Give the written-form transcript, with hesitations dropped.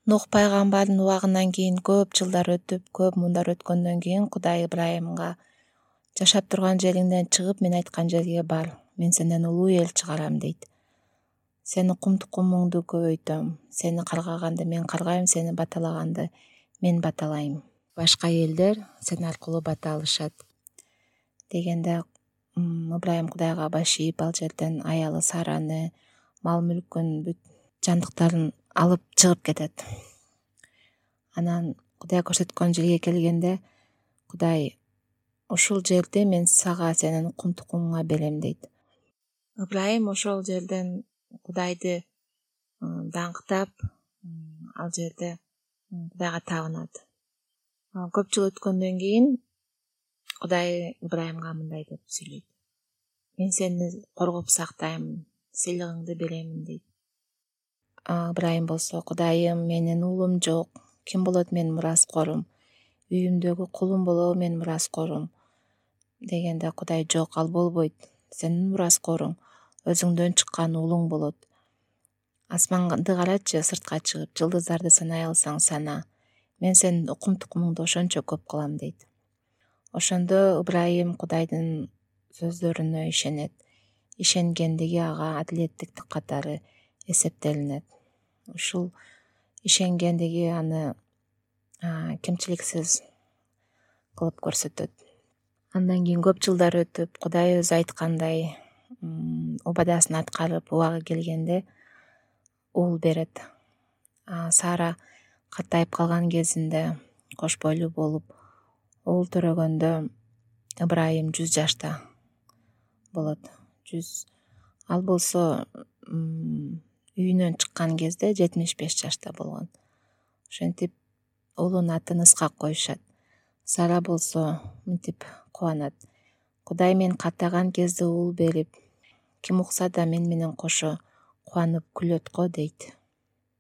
Нух пайгамбардын убагынан кийин көп жылдар өтүп, көп муундар өткөндөн кийин Кудай Ибрайымга жашап турган жериңден чыгып, мен айткан жерге бар. Мен сенден улуу эл чыгарам дейт. Сени кум-тукумуңду көбөйтөм. Сени каргаганды мен каргайм, сени баталаганды мен баталайм. Башка элдер сен аркылуу бата алышат дегенде Ибрайым Кудайга баш ийип, ал жерден аялы Сараны, мал-мүлкүн, бүт жандыктарын алып чыгып кетет. Анан Кудай көрсөткөн жерге келгенде Кудай ушул жерди мен сага, сенин кум-тукумуңа берем дейт. Ибрайым ошол жерден Кудайды даңктап, ал жерде Кудайга табынат. Көп жыл өткөндөн кийин Кудай Ибрайымга мындай деп сүйлөйт: мен сени коргоп сактайм, сыйлыгыңды беремин дейт. Ибрайым болсо: Кудайым, менин уулум жок, ким болот менин мураскорум, үйүмдөгү кулум болобу менин мураскорум дегенде Кудай: жок, ал болбойт, сенин мураскоруң өзүңдөн чыккан уулуң болот. Асманды карачы, сыртка чыгып, жылдыздарды санай алсаң сана, мен сенин кум-тукумуңду ошончо көп кылам дейт. Ошондо Ибрайым Кудайдын сөздөрүнө ишенет. Ишенгендиги ага адилеттиктик катары эсептелинет. Ушул ишенгендиги аны кемчиликсиз кылып көрсөтөт. Андан кийин көп жылдар өтүп, Кудай өзү айткандай убадасын аткарып, убагы келгенде уул берет. Сара картайып калган кезинде, кош бойлуу болуп, уул төрөгөндө Ибрайым 100 жашта болот. Ал болсо үйүнөн чыккан кезде 75 жашта болгон. Ошентип уулунун атын Исхак коюшат. Сара болсо мынтип кубанат: Кудай мен картайган кезде уул берип, ким укса да мен менен кошо кубанып күлөт го дейт.